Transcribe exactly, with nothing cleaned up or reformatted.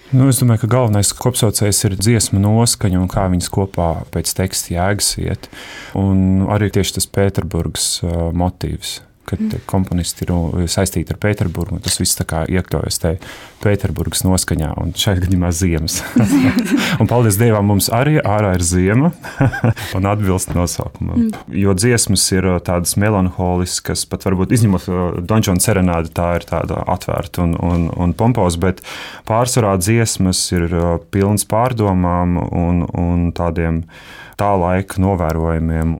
Nu, es domāju, ka galvenais kopsaucējs ir dziesmu noskaņa un kā viņas kopā pēc teksta jēgas iet. Un arī tieši tas Pēterburgas uh, motīvs, kad mm. komponisti ir saistīti ar Pēterburgu, un tas viss tā kā iekļaujas te Pēterburgas noskaņā, un šajā gadījumā ziemas. Un paldies Dievam, mums arī ārā ir ziema un atbilst nosaukumam. Mm. Jo dziesmas ir tādas melanholiskas, pat varbūt izņemot Don Juan serenādi, tā ir tāda atvērta un, un, un pompos, bet pārsvarā dziesmas ir pilnas pārdomām un, un tādiem tā laika novērojumiem.